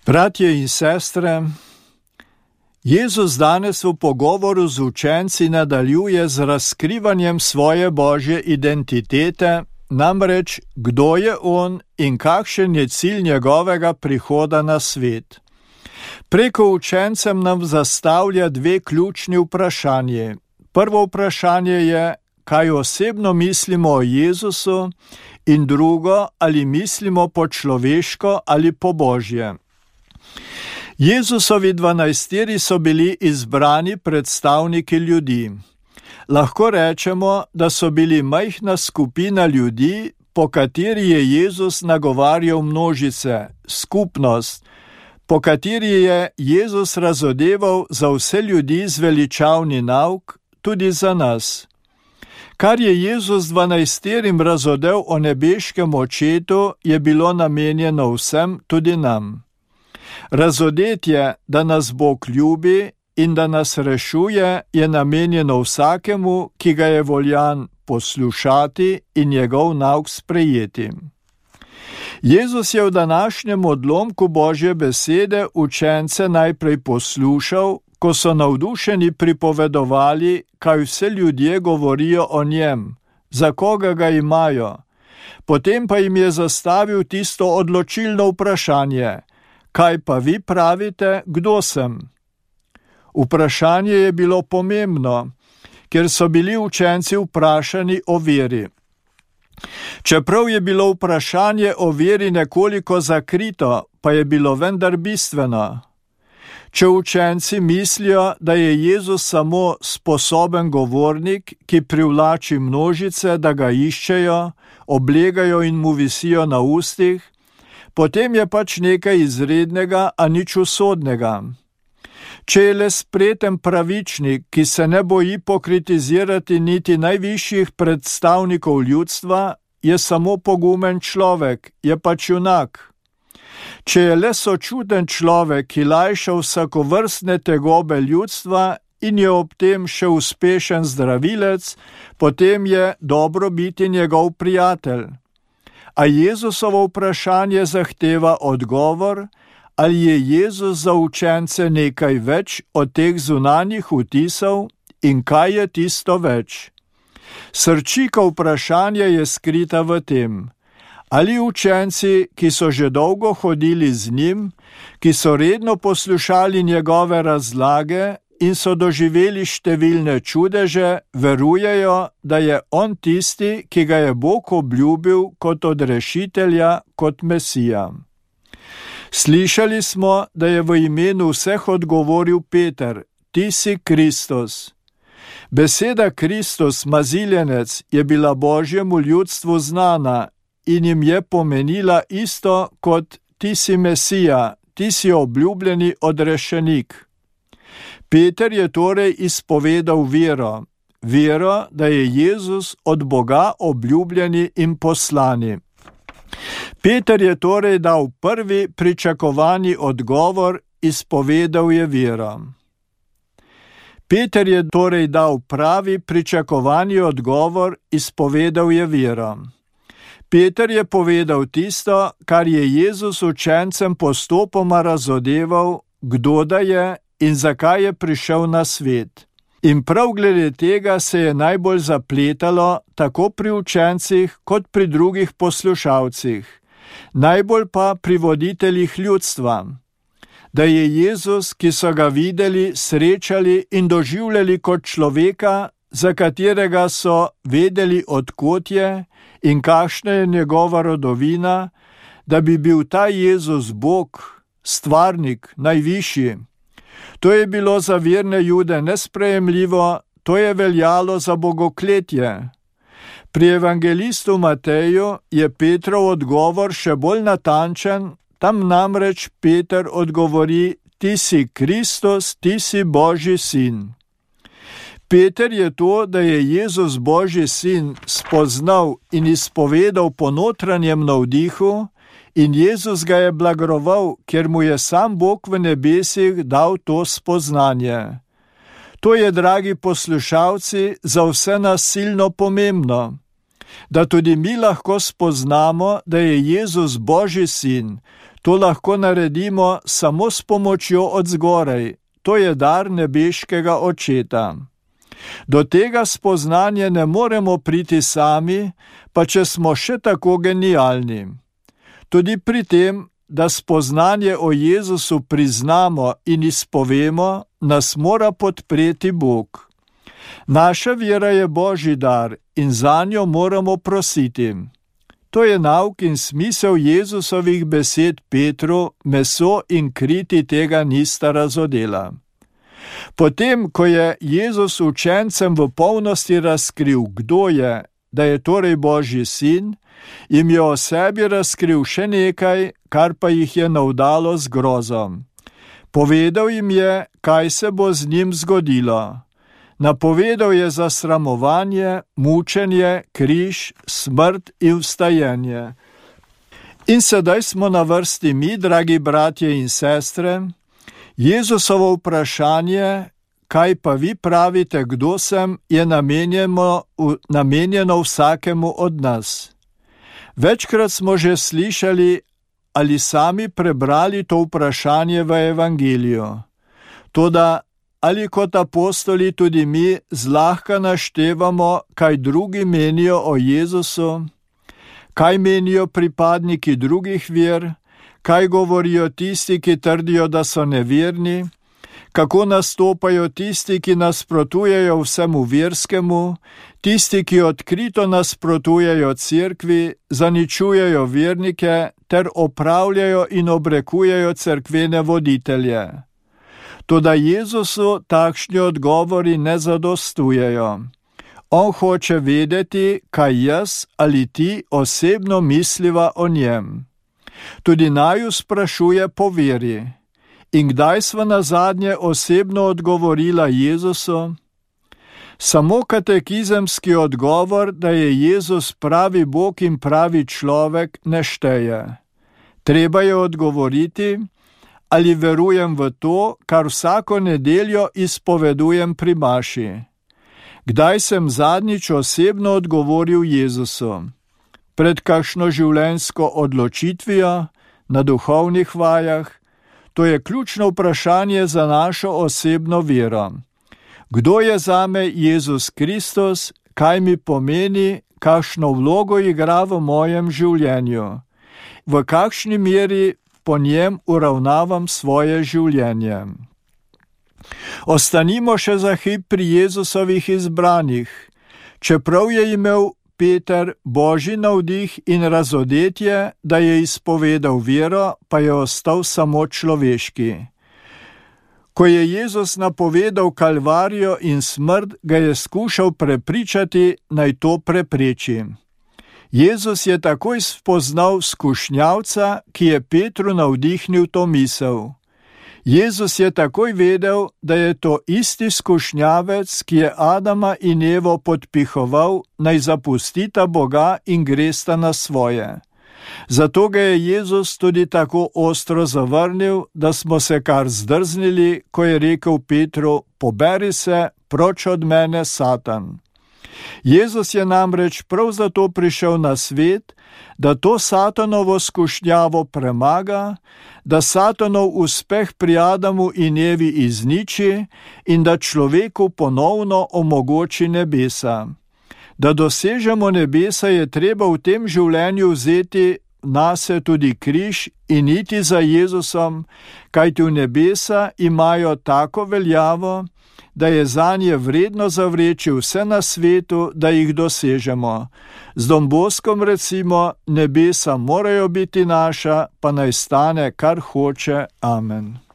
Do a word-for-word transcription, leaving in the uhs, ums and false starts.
Bratje in sestre, Jezus danes v pogovoru z učenci nadaljuje z razkrivanjem svoje božje identitete, namreč kdo je on in kakšen je cilj njegovega prihoda na svet. Preko učencem nam zastavlja dve ključni vprašanje. Prvo vprašanje je, kaj osebno mislimo o Jezusu, in drugo, ali mislimo po človeško ali po božje. Jezusovi dvanajsteri so bili izbrani predstavniki ljudi. Lahko rečemo, da so bili majhna skupina ljudi, po kateri je Jezus nagovarjal množice, skupnost, po kateri je Jezus razodeval za vse ljudi zveličavni nauk, tudi za nas. Kar je Jezus dvanajsterim razodel o nebeškem očetu, je bilo namenjeno vsem, tudi nam. Razodetje, da nas Bog ljubi in da nas rešuje, je namenjeno vsakemu, ki ga je voljan poslušati in njegov nauk sprejeti. Jezus je v današnjem odlomku Božje besede učence najprej poslušal, ko so navdušeni pripovedovali, kaj vse ljudje govorijo o njem, za koga ga imajo. Potem pa jim je zastavil tisto odločilno vprašanje: kaj pa vi pravite, kdo sem? Vprašanje je bilo pomembno, ker so bili učenci vprašani o veri. Čeprav je bilo vprašanje o veri nekoliko zakrito, pa je bilo vendar bistveno. Če učenci mislijo, da je Jezus samo sposoben govornik, ki privlači množice, da ga iščejo, oblegajo in mu visijo na ustih, potem je pač nekaj izrednega, a nič usodnega. Če je le spreten pravičnik, ki se ne boji pokritizirati niti najvišjih predstavnikov ljudstva, je samo pogumen človek, je pač junak. Če je le sočuten človek, ki lajša vsakovrstne tegobe ljudstva in je ob tem še uspešen zdravilec, potem je dobro biti njegov prijatelj. A Jezusovo vprašanje zahteva odgovor, ali je Jezus za učence nekaj več od teh zunanjih vtisov in kaj je tisto več. Srčika vprašanja je skrita v tem: ali učenci, ki so že dolgo hodili z njim, ki so redno poslušali njegove razlage in so doživeli številne čudeže, verujejo, da je on tisti, ki ga je Bog obljubil kot odrešitelja, kot Mesija. Slišali smo, da je v imenu vseh odgovoril Peter: ti si Kristus. Beseda Kristus, maziljenec, je bila Božjemu ljudstvu znana in jim je pomenila isto kot ti si Mesija, ti si obljubljeni odrešenik. Peter je torej izpovedal vero, vero, da je Jezus od Boga obljubljeni in poslani. Peter je torej dal prvi pričakovani odgovor, izpovedal je vero. Peter je torej dal pravi pričakovani odgovor, izpovedal je vero. Peter je povedal tisto, kar je Jezus učencem postopoma razodeval, kdo da je in zakaj je prišel na svet. In prav glede tega se je najbolj zapletalo tako pri učencih kot pri drugih poslušalcih, najbolj pa pri voditeljih ljudstva. Da je Jezus, ki so ga videli, srečali in doživljali kot človeka, za katerega so vedeli, od kod je in kakšna je njegova rodovina, da bi bil ta Jezus Bog, stvarnik, najvišji. To je bilo za verne Jude nesprejemljivo, to je veljalo za bogokletje. Pri evangelistu Mateju je Petrov odgovor še bolj natančen, tam namreč Peter odgovori: ti si Kristus, ti si Božji sin. Peter je to, da je Jezus Božji sin, spoznal in izpovedal po notranjem navdihu, in Jezus ga je blagoval, ker mu je sam Bog v nebesih dal to spoznanje. To je, dragi poslušalci, za vse nas silno pomembno, da tudi mi lahko spoznamo, da je Jezus Božji sin, To lahko naredimo samo s pomočjo od zgoraj, to je dar nebeškega Očeta. Do tega spoznanja ne moremo priti sami, pa če smo še tako genialni. Tudi pri tem, da spoznanje o Jezusu priznamo in izpovemo, nas mora podpreti Bog. Naša vera je Božji dar in zanjo moramo prositi. To je nauk in smisel Jezusovih besed Petru, meso in kri ti tega nista razodela. Potem, ko je Jezus učencem v polnosti razkril, kdo je, da je torej Božji sin, jim je o sebi razkril še nekaj, kar pa jih je navdalo z grozom. Povedal jim je, kaj se bo z njim zgodilo. Napovedal je zasramovanje, mučenje, križ, smrt in vstajenje. In sedaj smo na vrsti mi, dragi bratje in sestre. Jezusovo vprašanje, kaj pa vi pravite, kdo sem, je namenjeno, namenjeno vsakemu od nas. Večkrat smo že slišali ali sami prebrali to vprašanje v Evangeliju. Toda ali kot apostoli tudi mi zlahka naštevamo, kaj drugi menijo o Jezusu, kaj menijo pripadniki drugih ver, kaj govorijo tisti, ki trdijo, da so neverni, kako nastopajo tisti, ki nasprotujejo vsemu verskemu, tisti, ki odkrito nasprotujejo cerkvi, zaničujejo vernike ter opravljajo in obrekujejo cerkvene voditelje. Toda Jezusu takšni odgovori ne zadostujejo. On hoče vedeti, kaj jaz ali ti osebno misliva o njem. Tudi naju sprašuje po veri. In kdaj sva nazadnje osebno odgovorila Jezusu? Samo katekizemski odgovor, da je Jezus pravi Bog in pravi človek, ne šteje. Treba je odgovoriti, ali verujem v to, kar vsako nedeljo izpovedujem pri maši. Kdaj sem zadnjič osebno odgovoril Jezusu? Pred kakšno življenjsko odločitvijo, na duhovnih vajah? To je ključno vprašanje za našo osebno vero. Kdo je zame Jezus Kristus, kaj mi pomeni, kakšno vlogo igra v mojem življenju? V kakšni meri po njem uravnavam svoje življenje? Ostanimo še za hip pri Jezusovih izbranih. Čeprav je imel Peter Božji navdih in razodetje, da je izpovedal vero, pa je ostal samo človeški. Ko je Jezus napovedal kalvarijo in smrt, ga je skušal prepričati, naj to prepreči. Jezus je takoj spoznal skušnjavca, ki je Petru navdihnil to misel. Jezus je takoj vedel, da je to isti skušnjavec, ki je Adama in Evo podpihoval, naj zapustita Boga in gresta na svoje. Zato ga je Jezus tudi tako ostro zavrnil, da smo se kar zdrznili, ko je rekel Petru: poberi se, proč od mene, Satan. Jezus je namreč prav zato prišel na svet, da to Satanovo skušnjavo premaga, da Satanov uspeh pri Adamu in Evi izniči in da človeku ponovno omogoči nebesa. Da dosežemo nebesa, je treba v tem življenju vzeti nase tudi križ in iti za Jezusom, kajti v nebesa imajo tako veljavo, da je zanje vredno zavreči vse na svetu, da jih dosežemo. Z Don Boskom recimo: nebesa morajo biti naša, pa naj stane, kar hoče. Amen.